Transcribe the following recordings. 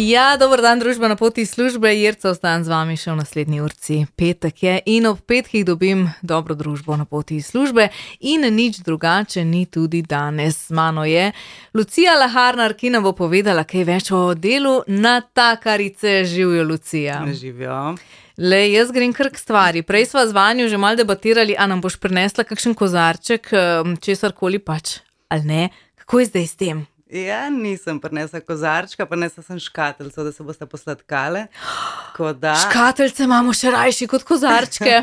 Ja, dober dan, družba na poti službe. Jerca, ostan z vami še v naslednji urci. Petek je in ob petkih dobim dobro družbo na poti službe in nič drugače ni tudi danes. Z mano je Lucija Laharnar, ki nam bo povedala kaj več o delu natakarice. Živijo, Lucija. Živijo. Lej, jaz grem kar k stvari. Prej sva z vanjo že malo debatirali, a nam boš prinesla kakšen kozarček, česarkoli pač, ali ne? Kako je zdaj s tem? Ja, nisem prinesla kozarčka, prinesla sem škateljco, da se boste posladkale. Škateljce imamo še rajši kot kozarčke.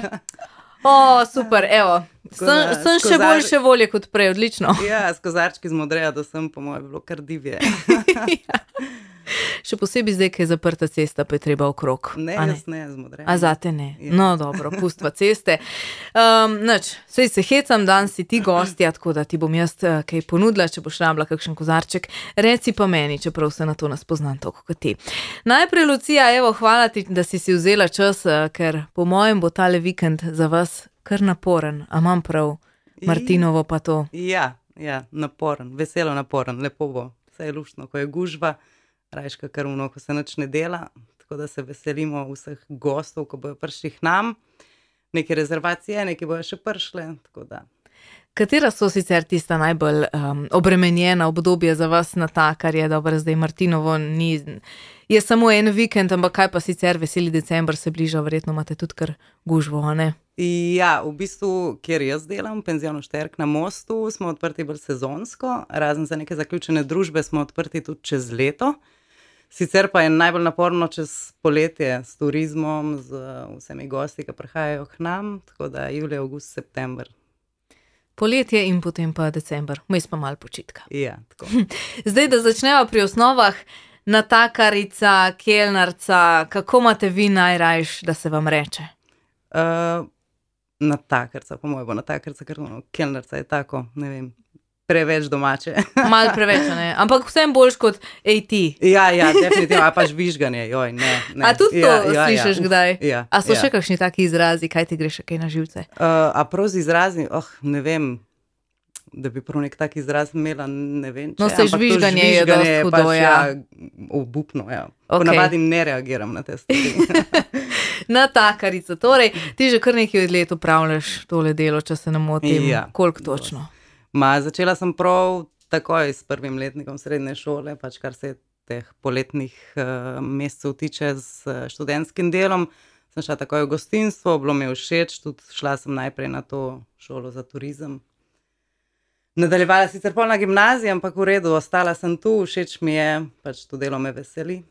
Super, evo. Sem še boljše volje kot prej, odlično. Ja, s kozarčki z Modreja do sem, po mojem, bilo kar divje. Ja. Še posebej zdaj, ko je zaprta cesta, pa je treba okrog. Ne, jaz ne, z Modreja. A zate ne? Ja. No, dobro, pustva ceste. Sej se hecam, dan si ti gostja, tako da ti bom jaz kaj ponudila, če boš rabila kakšen kozarček. Reci pa meni, čeprav se na to ne spoznam toliko kot ti. Najprej, Lucija, evo, hvala ti, da si vzela čas, ker po mojem bo tale vikend za vas kar naporen. A imam prav, Martinovo pa to? Ja, naporen, veselo naporen, lepo bo. Vse je luštno, ko je gužva. Rajška kar uno, ko se nič ne dela, tako da se veselimo vseh gostov, ko bojo prišli k nam. Neke rezervacije, neke bojo še prišle, tako da. Katera so sicer tista najbolj obremenjena obdobje za vas natakarje? Dobro, zdaj Martinovo je samo en vikend, ampak kaj pa sicer, veseli december se bliža, verjetno imate tudi kar gužvo, a ne? Ja, v bistvu, kjer jaz delam, penzionu Šterk na Mostu, smo odprti bolj sezonsko, razen za neke zaključene družbe smo odprti tudi čez leto. Sicer pa je najbolj naporno čez poletje s turizmom, z vsemi gosti, ki prihajajo k nam, tako da julij, avgust, september. Poletje in potem pa december, vmes pa malo počitka. Ja, tako. Zdaj, da začneva pri osnovah, natakarica, kelnarca, kako imate vi najrajš, da se vam reče? Natakarca, po mojem bo natakarca, ker kelnarca je tako, ne vem, preveč domače. Malo preveč, ne? Ampak vsem boljš kot AT. Ja, definitivno, a pa žvižganje, joj, ne. A tudi to slišiš kdaj? Ja. A so še kakšni taki izrazi, kaj ti greš kaj na živce? A prav z izrazi, ne vem, da bi prav nek tak izraz imela, ne vem. No, se žvižganje je dosti hudo, ja. Obupno, ja. Ponavadi ne reagiram na te stvari. Natakarica, torej, ti že kar nekaj let upravljaš tole delo, če se ne motim. Ja. Koliko točno? Začela sem prav takoj s prvim letnikom srednje šole, pač kar se teh poletnih mesecev tiče z študentskim delom. Sem šla takoj v gostinstvo, bilo mi je všeč, tudi šla sem najprej na to šolo za turizem. Nadaljevala sicer pol na gimnaziji, ampak v redu, ostala sem tu, všeč mi je, pač to delo me veseli.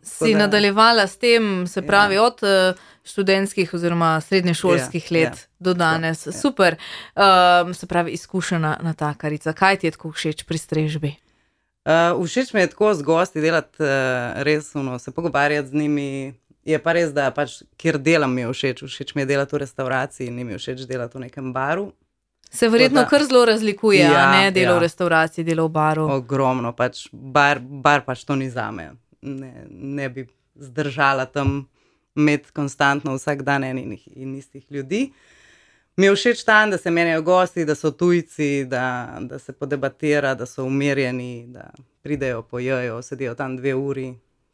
Si nadaljevala s tem, se pravi, od študentskih oziroma srednješolskih let do danes. Super, se pravi, izkušena natakarica. Kaj ti je tako všeč pri strežbi? Všeč mi je tako z gosti delati res, se pogovarjati z njimi. Je pa res, da pač, kjer delam mi je všeč. Všeč mi je delati v restavraciji, ni mi všeč delati v nekem baru. Se verjetno kar zelo razlikuje, a ne? Delo v restavraciji, delo v baru. Ogromno, pač bar pač to ni zame. Ne bi zdržala tam imeti konstantno vsak dan enih in istih ljudi. Mi je všeč tam, da se menjajo gosti, da so tujci, da se podebatira, da so umirjeni, da pridejo, pojejo, sedijo tam 2 uri,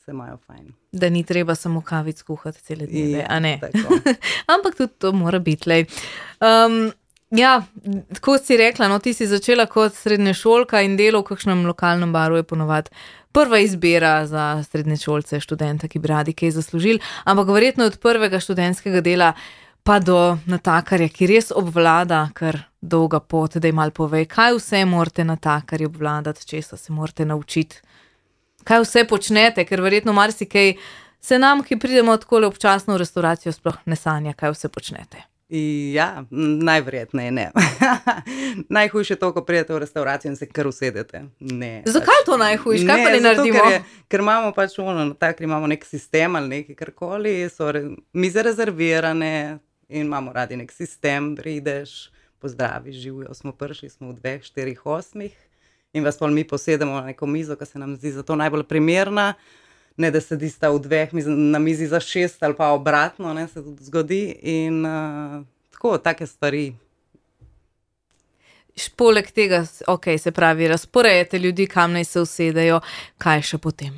se imajo fajn. Da ni treba samo kavic kuhati cele dneve, a ne? Tako. Ampak tudi to mora biti, lej. Ja, tako si rekla, no, ti si začela kot srednješolka in delo v kakšnem lokalnem baru je ponovadi prva izbira za srednješolce, študenta, ki bi radi kaj zaslužili, ampak verjetno od prvega študentskega dela pa do natakarja, ki res obvlada kar dolga pot, da ji malo povej, kaj vse morate natakarji obvladati, česa se morate naučiti, kaj vse počnete, ker verjetno marsikaj se nam, ki pridemo takole občasno v restauracijo, sploh ne sanja, kaj vse počnete. Ja, najverjetneje ne. Najhujše je to, ko pridete v restauracijo in se kar usedete. Ne. Zakaj to najhujše? Kaj pa ne naredimo? Ker imamo pač natakari imamo nek sistem ali nekaj karkoli, so mize rezervirane in imamo radi nek sistem, prideš, pozdraviš, živijo, smo prišli, smo v 2, 4, 8 in vas pol mi posedemo na neko mizo, ki se nam zdi za to najbolj primerna. Ne, da sedista v 2 na mizi za 6 ali pa obratno, ne, se tudi zgodi in tako, take stvari. Poleg tega, se pravi, razporejate ljudi, kam naj se usedejo, kaj še potem?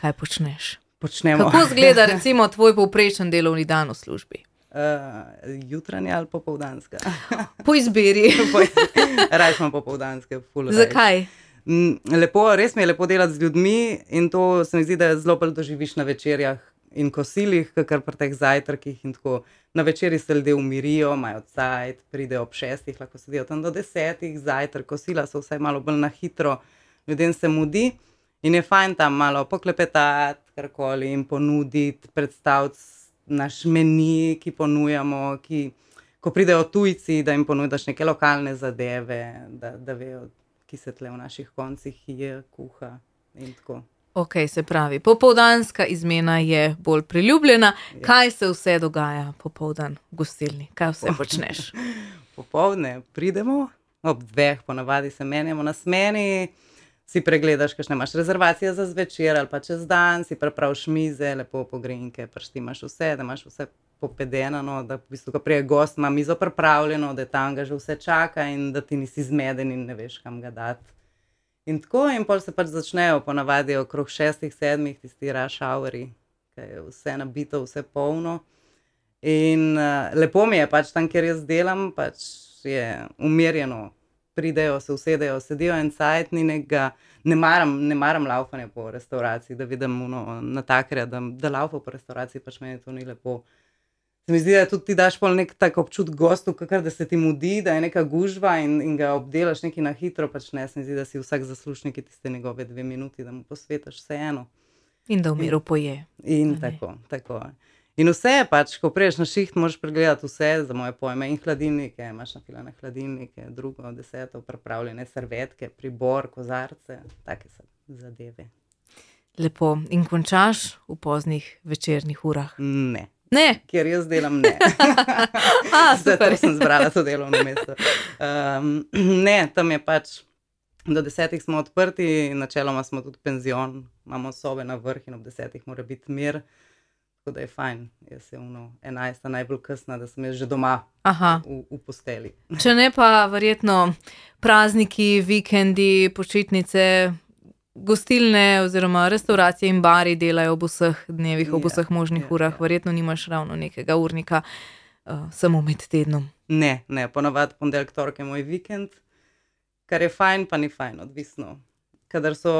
kaj počneš? Počnemo. Kako izgleda recimo tvoj povprečen delovni dan v službi? Jutranja ali popoldanska? Po izbiri. Raj smo popoldanske. Zakaj? Lepo, res mi je lepo delati z ljudmi in to se mi zdi, da zelo bolj doživiš na večerjah in kosilih, kakor pri teh zajtrkih in tako. Na večeri se ljudje umirijo, imajo cajt, pridejo ob 6, lahko sedijo tam do 10, zajtrk, kosila so vsaj malo bolj na hitro, ljudem se mudi in je fajn tam malo poklepetati, karkoli in ponuditi, predstaviti naš meni, ki ponujamo, ko pridejo tujci, da jim ponudiš neke lokalne zadeve, da vejo, ki se tle v naših koncih je, kuha in tako. Ok, se pravi, popoldanska izmena je bolj priljubljena. Kaj se vse dogaja popoldan v gostilni? Kaj vse počneš? Popoldne pridemo, ob 2 ponavadi se menjamo na smeni, si pregledaš, kakšne imaš rezervacije za zvečer ali pa čez dan, si prepraviš mize, lepo pogrinke, prštimaš vse, da imaš vse popedenano, da v bistvu, ko prije gost ima mizo pripravljeno, da tam ga že vse čaka in da ti nisi zmeden in ne veš, kam ga dati. In tako, in pol se pač začnejo ponavadi okrog 6-7 tisti rush houri, ki je vse nabito, vse polno. In lepo mi je pač tam, kjer jaz delam, pač je umirjeno. Pridejo, se usedejo, sedijo en cajt, ni nekega, ne maram laufanja po restauraciji, da vidim natakarja, da laufa po restauraciji, pač meni to ni lepo. Se mi zdi, da tudi ti daš pol nek tak občut gostu, kakor da se ti mudi, da je neka gužva in ga obdelaš neki na hitro, pač ne, se mi zdi, da si vsak zaslužnik tiste njegove 2 minuti, da mu posvetaš vseeno. In da v miru poje. In tako. In vse pač, ko priješ na šiht, moraš pregledati vse za moje pojme in hladilnike, imaš nafilane hladilnike, drugo, 10, pripravljene servetke, pribor, kozarce, take zadeve. Lepo. In končaš v poznih večernih urah? Ne. Ne? Kjer jaz delam, ne. Zato sem zbrala to delovno mesto. Ne, tam je pač, do 10 smo odprti, načeloma smo tudi penzion, imamo sobe na vrh in ob 10 mora biti mir. Tako da je fajn, jaz je 11 najbolj kasna, da sem jaz že doma v posteli. Če ne pa verjetno prazniki, vikendi, počitnice, gostilne oziroma restauracije in bari delajo ob vseh dnevih, ob vseh možnih urah, verjetno nimaš ravno nekega urnika samo med tednom. Ne, ponavadi ponedeljek, torek je moj vikend, kar je fajn, pa ni fajn, odvisno. Kadar so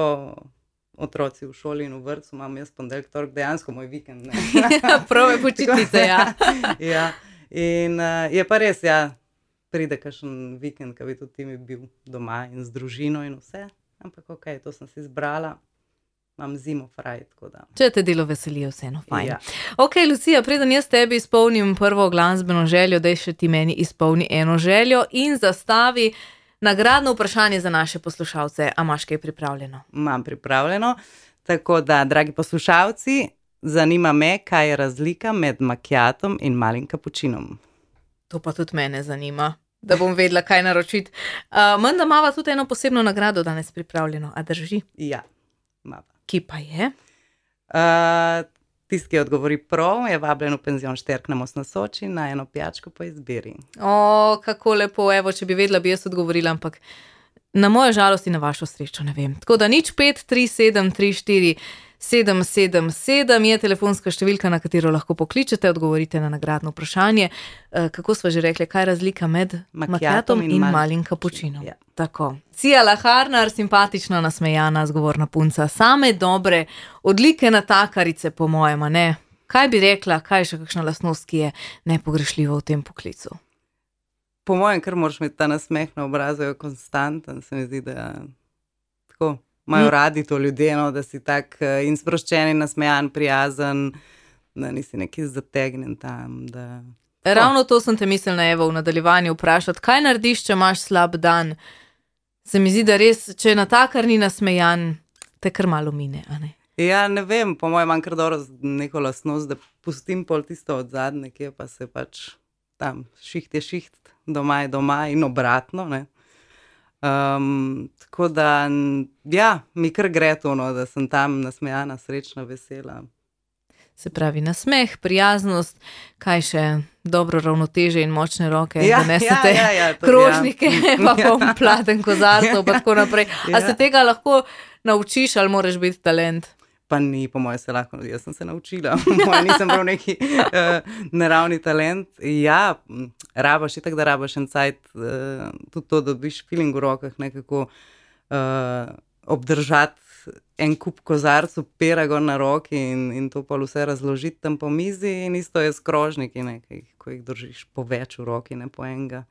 otroci v šoli in v vrtcu, imam jaz ponedeljek, torek dejansko moj vikend. Prave počitnice, ja. Ja, in je pa res, pride kakšen vikend, ko bi tudi ti mi bil doma in z družino in vse, ampak ok, to sem si izbrala, imam zimo fraj, tako da. Če te delo veselijo, vseeno fajn. Ja. Ok, Lucija, preden jaz tebi izpolnim prvo glasbeno željo, daj še ti meni izpolni eno željo in zastavi nagradno vprašanje za naše poslušalce. A imaš kaj pripravljeno? Imam pripravljeno, tako da, dragi poslušalci, zanima me, kaj je razlika med macchiatom in malim kapučinom. To pa tudi mene zanima, da bom vedela, kaj naročiti. Menda imava tudi eno posebno nagrado danes pripravljeno, a drži? Ja, imava. Ki pa je? Tisti, ki odgovori prav, je vabljen v penzion Šterk na Most na Soči na eno pijačko po izbiri. O, kako lepo, evo, če bi vedela, bi jaz odgovorila, ampak na mojo žalost in na vašo srečo, ne vem. Tako da 0537347777 je telefonska številka, na katero lahko pokličete, odgovorite na nagradno vprašanje. Kako sva že rekli, kaj je razlika med macchiatom in malim kapučinom? Ja. Tako. Cia Laharnar, simpatična, nasmejana, zgovorna punca, same dobre odlike natakarice, po mojem, ne? Kaj bi rekla, kaj je še kakšna lastnost, ki je nepogrešljiva v tem poklicu? Po mojem, kar moraš imeti ta nasmeh na obrazu, je konstanten, se mi zdi, da tako imajo radi to ljudje, no, da si tak in sproščen in nasmejan, prijazen, da nisi neki zategnen tam, da... Ravno to sem te mislila, Evo, v nadaljevanju vprašati, kaj narediš, če imaš slab dan? Se mi zdi, da res, če je natakar ni nasmejan, te kar malo mine, a ne? Ja, ne vem, po mojem imam kar dobro neko lastnost, da pustim pol tisto od zadnje, kje pa se pač tam šiht je šiht, doma je doma in obratno, ne. Tako da, ja, mi kar gre to, no, da sem tam nasmejana, srečna, vesela. Se pravi, nasmeh, prijaznost, kaj še, dobro ravnoteže in močne roke, da nesete krožnike, pa platen kozarcev, pa tako naprej. A se tega lahko naučiš ali moraš biti talent? Pa ni, po mojem, se lahko, jaz sem se naučila, nisem prav neki naravni talent. Ja, rabaš, itak da rabaš en cajt, tudi to, da dobiš feeling v rokah, nekako obdržati en kup kozarcev, pera gor na roki in to pa vse razložiti tam po mizi in isto je s krožniki, ko jih držiš po več v roki, ne po enega.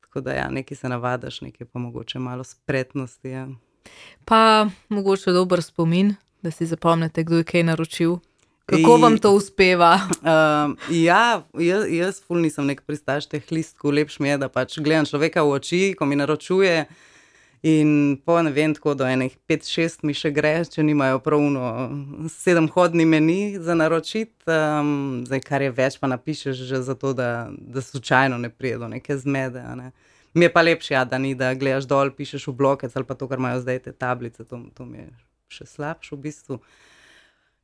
Tako da ja, nekaj se navadaš, nekaj pa mogoče malo spretnosti, ja. Pa mogoče dober spomin, da si zapomnite, kdo je kaj naročil. Kako vam to uspeva? Ja, jaz ful nisem nek pristaš teh listkov, lepš mi je, da pač gledam človeka v oči, ko mi naročuje in po ne vem, tako do enih 5-6 mi še gre, če nimajo pravno 7-hodni meni za naročiti, zdaj kar je več pa napišeš že zato, da slučajno ne prije do neke zmede, ne. Mi je pa lepše, ja, da ni, da gledaš dol, pišeš v blokec ali pa to, kar imajo zdaj te tablice, to mi je še slabše v bistvu.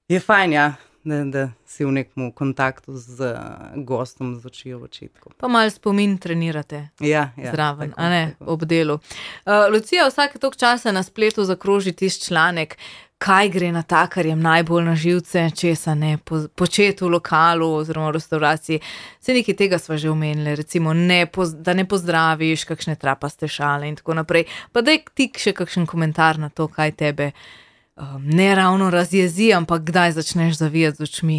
Je fajn, ja, da si v nekem kontaktu z gostom z oči v očitku. Pa malo spomin trenirate zraven, tako, a ne, tako. ob delu. Lucija vsake toliko časa na spletu zakroži tisti članek, kaj gre natakarjem najbolj na živce, česa ne početi v lokalu oziroma v restavraciji. Saj nekaj tega sva že omenili, recimo da ne pozdraviš kakšne trapaste šale in tako naprej. Pa daj ti še kakšen komentar na to, kaj tebe ne ravno razjezi, ampak kdaj začneš zavijati z očmi?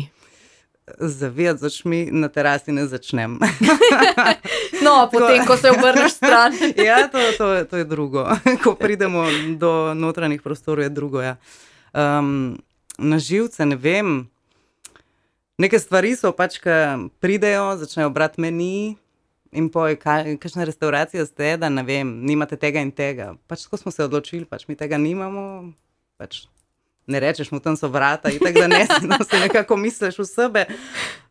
Zavijati z očmi na terasi ne začnem. No, potem, ko se obrneš stran. Ja, to je drugo. Ko pridemo do notranjih prostorov, je drugo, ja. Na živce, ne vem, neke stvari so pač, ki pridejo, začnejo brati meni in poj, kakšna restauracija ste, da ne vem, nimate tega in tega. Pač tako smo se odločili, pač mi tega nimamo, pač ne rečeš mu, tam so vrata, itak da ne, se nekako misliš v sebe,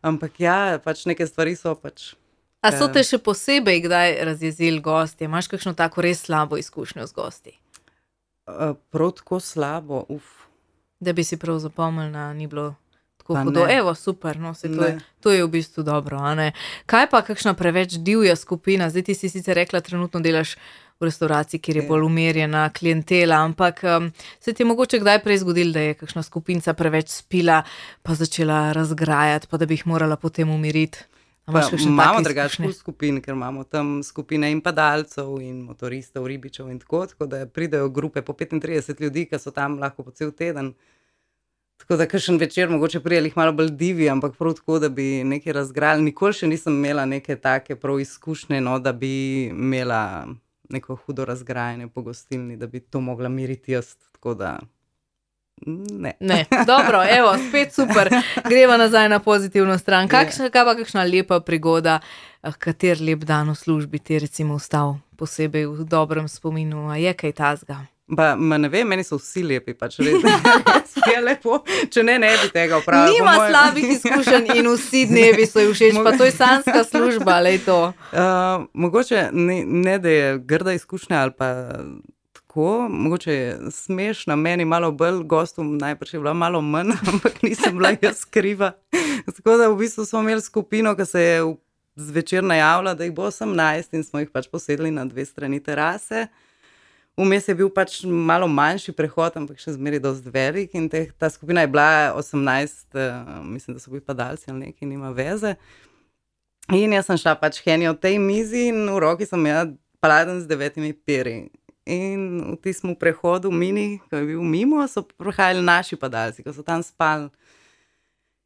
ampak ja, pač neke stvari so pač. A so te še posebej kdaj razjezili gostje? Imaš kakšno tako res slabo izkušnjo z gosti? Prav tako slabo, Da bi si prav zapomnila, ni bilo tako Pa hudo. ne. Evo, super, no, Ne. to je v bistvu dobro, a ne? Kaj pa kakšna preveč divja skupina? Zdaj ti si sicer rekla, trenutno delaš v restavraciji, kjer je bolj umirjena klientela, ampak se ti je mogoče kdaj prej zgodilo, da je kakšna skupinca preveč spila, pa začela razgrajati, pa da bi jih morala potem umiriti? A imaš kakšne imamo take drugačne izkušnje? skupin, ker imamo tam skupine in padalcev in motoristov, ribičev in tako da pridejo grupe po 35 ljudi, ki so tam lahko po cel teden. Tako da kakšen večer mogoče prijeli jih malo bolj divi, ampak prav tako, da bi nekaj razgrali. Nikoli še nisem imela neke take prav izkušnje, no, da bi imela neko hudo razgrajanje po gostilni, da bi to mogla miriti jaz, tako da ne. Ne, dobro, evo, spet super. Greva nazaj na pozitivno stran. Kaj pa kakšna lepa prigoda, kater lep dan v službi ti recimo ostal posebej v dobrem spominu, a je kaj tazga? Ne vem, meni so vsi lepi, pač res je lepo, če ne bi tega opravila. Nima slabih izkušenj in vsi dnevi so ji všeč, pa to je sanjska služba, lej to. Mogoče ne, da je grda izkušnja ali pa tako, mogoče je smešna, meni malo bolj, gostom najprej je bila malo manj, ampak nisem bila jaz kriva. Tako da v bistvu smo imeli skupino, ki se je zvečer najavila, da jih bo 18 in smo jih pač posedli na 2 strani terase. Vmes je bil pač malo manjši prehod, ampak še zmeraj dosti velik in ta skupina je bila 18, mislim, da so bili padalci ali nekaj, nima veze. In jaz sem šla pač henjo v tej mizi in v roki sem imela paladen z 9 peri. In v tistem prehodu mini, ko je bil mimo, so prihajali naši padalci, ko so tam spali.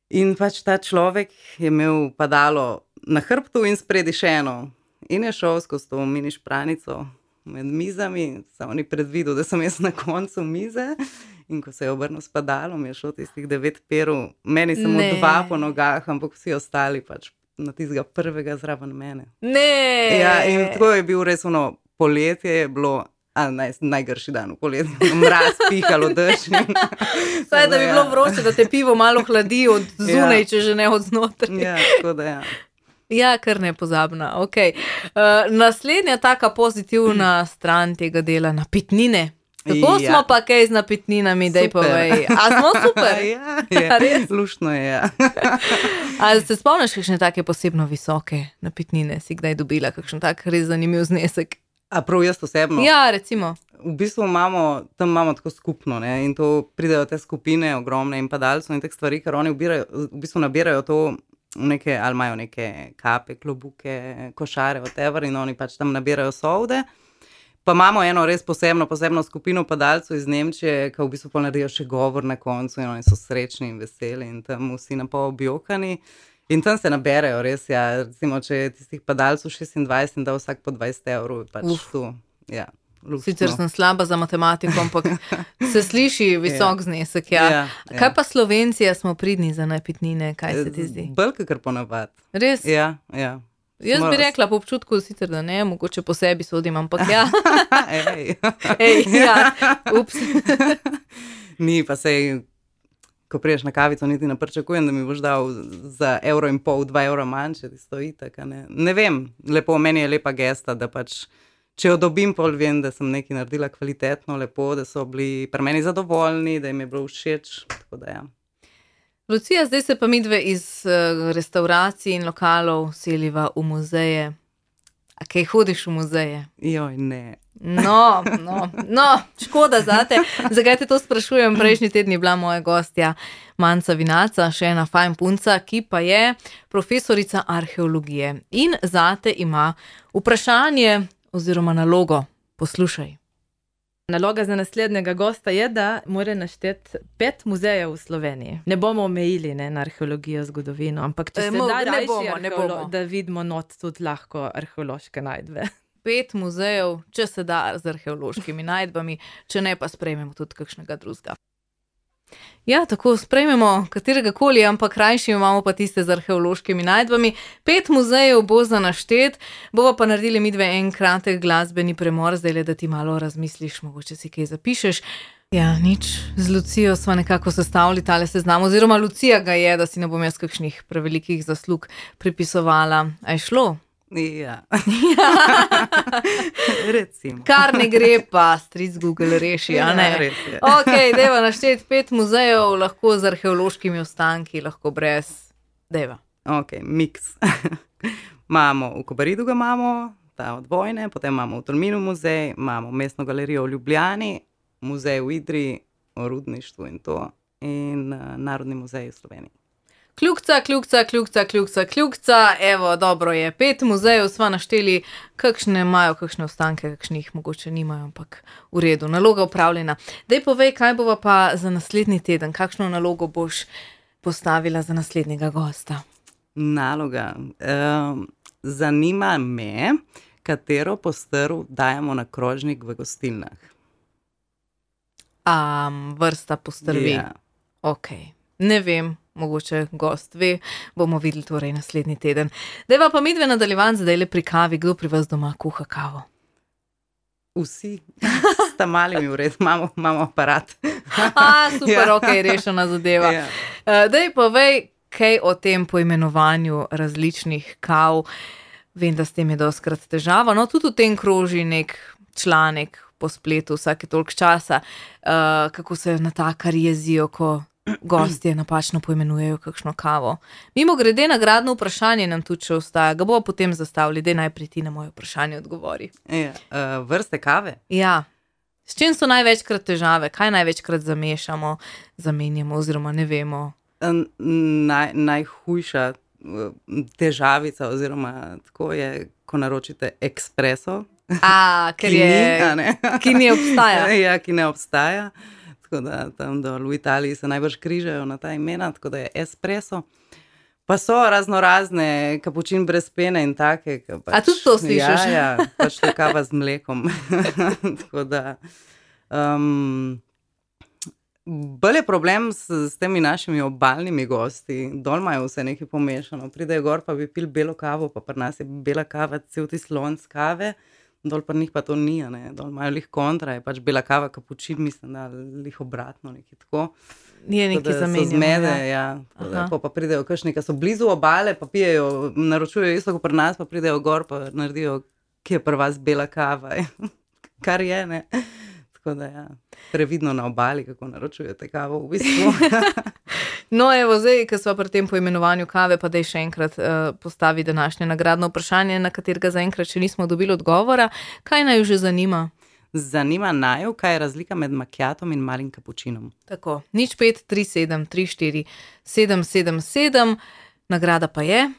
In pač ta človek je imel padalo na hrbtu in spredi še eno. In je šel skozi to mini špranico med mizami, samo ni predvidel, da sem jaz na koncu mize. In ko se je obrnil s padalom, je šel tistih 9 perov, meni samo 2 po nogah, ampak vsi ostali pač na tistega prvega zraven mene. Ne! Ja, in tako je bil res ono, poletje je bilo najgrši dan v poletju, mraz, pihalo, dež. Saj, da bi bilo vroče, da te pivo malo hladi od zunaj, če že ne od znotraj. Ja, tako da ja. Ja, kar nepozabna, okej. Naslednja taka pozitivna stran tega dela, napitnine. Kako smo pa kaj z napitninami, daj povej. A smo super? Ja, luštno je, ja. A se spomniš kakšne take posebno visoke napitnine? Si kdaj dobila kakšen tak res zanimiv znesek? A prav jaz osebno? Ja, recimo. v bistvu tam imamo tako skupno, ne, in to pridejo te skupine ogromne in padalcev in teh stvari, ker oni v bistvu nabirajo to v neke, ali imajo neke kape, klobuke, košare, whatever, in oni pač tam nabirajo solde. Pa imamo eno res posebno skupino padalcev iz Nemčije, ki v bistvu pa naredijo še govor na koncu in oni so srečni in veseli in tam vsi napol objokani. In tam se naberejo res, ja, recimo, če je tistih padalcev 26 in da vsak po 20 evrov, pač tu, ja. Luštno. Sicer sem slaba za matematiko, ampak se sliši visok znesek, ja. Kaj pa Slovenci, smo pridni za napitnine, kaj se ti zdi? Bolj kakor ponavad. Res? Ja. Jaz bi rekla po občutku, sicer da ne, mogoče po sebi sodim, ampak ja. Ej, ja, ups. Ni pa sej, ko priješ na kavico, niti ne pričakujem, da mi boš dal za 1,5 €, 2 € manj, če ti stoji tako, ne. Ne vem, lepo, meni je lepa gesta, da pač, če jo dobim, pol vem, da sem nekaj naredila kvalitetno, lepo, da so bili pri meni zadovoljni, da jim je bilo všeč, tako da ja. Lucija, zdaj se pa midve iz restauracij in lokalov seliva v muzeje. A kaj hodiš v muzeje? Joj, ne. No, škoda zate. Zakaj te to sprašujem? Prejšnji teden je bila moja gostja Manca Vinaca, še ena fajn punca, ki pa je profesorica arheologije. In zate ima vprašanje oziroma nalogo. Poslušaj. Naloga za naslednjega gosta je, da mora našteti 5 muzejev v Sloveniji. Ne bomo omejili na arheologijo, zgodovino, ampak če se da rajši, da vidimo not tudi lahko arheološke najdbe. 5 muzejev, če se da z arheološkimi najdbami, če ne pa sprejmemo tudi kakšnega drugega. Ja, tako sprejmemo katerega koli, ampak rajši imamo pa tiste z arheološkimi najdbami. 5 muzejev bo za naštet, bova pa naredili midve en kratek glasbeni premor, zdaj da ti malo razmisliš, mogoče si kaj zapišeš. Ja, nič, z Lucijo sva nekako sestavili tale seznam, oziroma Lucija ga je, da si ne bom jaz kakšnih prevelikih zaslug pripisovala. A je šlo? Ja. Recimo. Kar ne gre, pa stric Google reši, a ne? Ja, res je. Ok, deva našteti 5 muzejev, lahko z arheološkimi ostanki, lahko brez. Deva. Ok, miks. Imamo v Kobaridu ga imamo, ta od vojne, potem imamo v Tolminu muzej, imamo mestno galerijo v Ljubljani, muzej v Idri, o rudništvu in to, in Narodni muzej v Sloveniji. Kljukca, evo, dobro je, 5 muzejev sva našteli, kakšne imajo, kakšne ostanke, kakšnih mogoče nimajo, ampak v redu, naloga upravljena. Dej povej, kaj bova pa za naslednji teden, kakšno nalogo boš postavila za naslednjega gosta? Naloga. Zanima me, katero postrv dajemo na krožnik v gostilnah. Vrsta postrvi. Ja. Ok, ne vem. Mogoče gost ve, bomo videli torej naslednji teden. Deva pa midve nadaljevan zdaj le pri kavi, kdo pri vas doma kuha kavo? Vsi, sta malimi v redu, imamo aparat. Super, ok, rešena zadeva. Ja. Dej povej, kaj o tem poimenovanju različnih kav. Vem, da s tem je dostikrat težava, no tudi v tem kroži nek članek po spletu vsake toliko časa, kako se natakari jezijo, ko gostje napačno poimenujejo kakšno kavo. Mimo grede nagradno vprašanje nam tudi še ostaja, ga bomo potem zastavili, daj najprej ti na moje vprašanje odgovori. Ja, vrste kave? Ja. S čim so največkrat težave? Kaj največkrat zamešamo, zamenjamo oziroma ne vemo? Najhujša težavica oziroma tako je, ko naročite espresso. Ki ne obstaja. Ja, ki ne obstaja. Tako da tam dol v Italiji se najbrž križajo na ta imena, tako da je espresso. Pa so raznorazne, kapučin brez pene in take. A tudi to slišiš? Ja, pač to kava z mlekom. Tako da bolj je problem s temi našimi obalnimi gosti. Dol imajo vse nekaj pomešano. Pridejo gor, pa bi pil belo kavo, pa pri nas je bela kava, cel ti slonc kave. Dol pa njih pa to ni, ne. Dol imajo lih kontra, je pač bela kava, kapučin, mislim, da lih obratno, nekaj tako. Nije nekaj zamenjamo. So zmede, ja. Pa pridejo kakšni, ki so blizu obale, pa pijejo, naročujejo isto kot pri nas, pa pridejo gor, pa naredijo, ki je pri vas bela kava. Kar je, ne. Tako da ja, previdno na obali, kako naročujete kavo v bistvu. No, evo, zdaj, ko smo pri tem poimenovanju kave, pa daj še enkrat postavi današnje nagradno vprašanje, na katerega zaenkrat še nismo dobili odgovora. Kaj naj jo že zanima? zanima naju, kaj je razlika med macchiatom in malim kapučinom. Tako, 0537 34 777, nagrada pa je?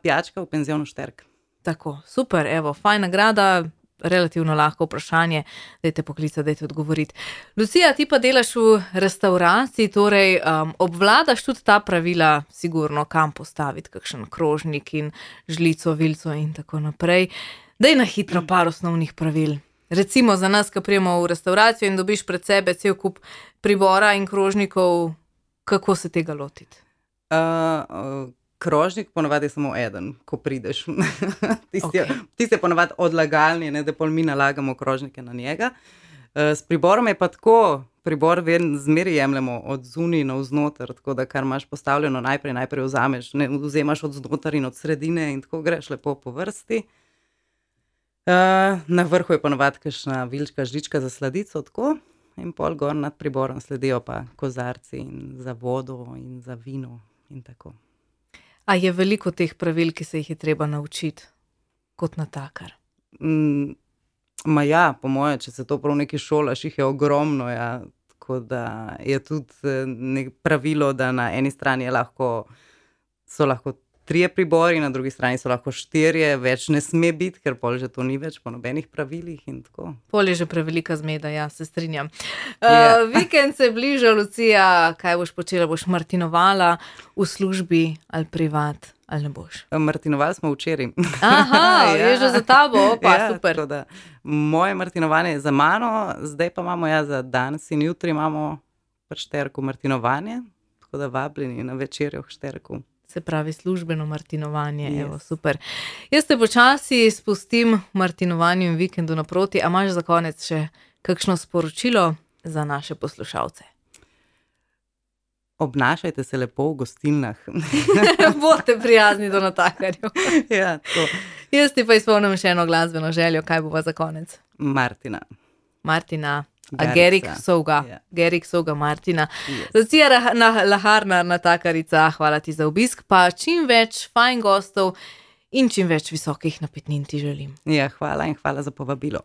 Pijačka v penzionu Šterk. Tako, super, evo, fajn nagrada, relativno lahko vprašanje, dajte poklicati, dajte odgovoriti. Lucija, ti pa delaš v restavraciji, torej obvladaš tudi ta pravila, sigurno, kam postaviti kakšen krožnik in žlico, vilco in tako naprej. Daj na hitro par osnovnih pravil. Recimo za nas, ko prijemo v restauracijo in dobiš pred sebe cel kup pribora in krožnikov, kako se tega lotiti? Krožnik ponavadi je samo eden, ko prideš. Tisti je ponavadi odlagalni, ne, da pol mi nalagamo krožnike na njega. S priborom je pa tako, pribor zmeri jemljemo od zunaj na vznoter, tako da kar imaš postavljeno najprej vzameš, ne, vzemaš od znotar in od sredine in tako greš lepo po vrsti. Na vrhu je ponavadi kakšna vilčka, žlička za sladico, tako, in pol gor nad priborom sledijo pa kozarci in za vodo in za vino in tako. A je veliko teh pravil, ki se jih je treba naučiti kot natakar? Ja, po moje, če se to prav nekaj šolaš, jih je ogromno, ja. Tako da je tudi pravilo, da na eni strani so lahko 3 pribori, na drugi strani so lahko 4, več ne sme biti, ker pol že to ni več po nobenih pravilih in tako. Pol je že prevelika zmeda, ja, se strinjam. Vikend se bliža, Lucija, kaj boš počela? Boš martinovala v službi ali privat, ali ne boš? Martinovali smo včeraj. Aha, je že za tabo, opa, super. Tako da moje martinovanje je za mano, zdaj pa imamo za danes in jutri imamo pri Šterku martinovanje, tako da vabljeni na večerjo v Šterku. Se pravi službeno martinovanje, yes. Evo, super. Jaz te počasi spustim martinovanju in vikendu naproti, a imaš za konec še kakšno sporočilo za naše poslušalce? Obnašajte se lepo v gostilnah. Bodite prijazni do natakarjev. Ja, to. Jaz ti pa izpolnim še eno glasbeno željo, kaj bova za konec? Martina. Gerik Souga Martina. Yes. Lucija Laharnar, natakarica, hvala ti za obisk, pa čim več fajn gostov in čim več visokih napitnin ti želim. Ja, hvala in hvala za povabilo.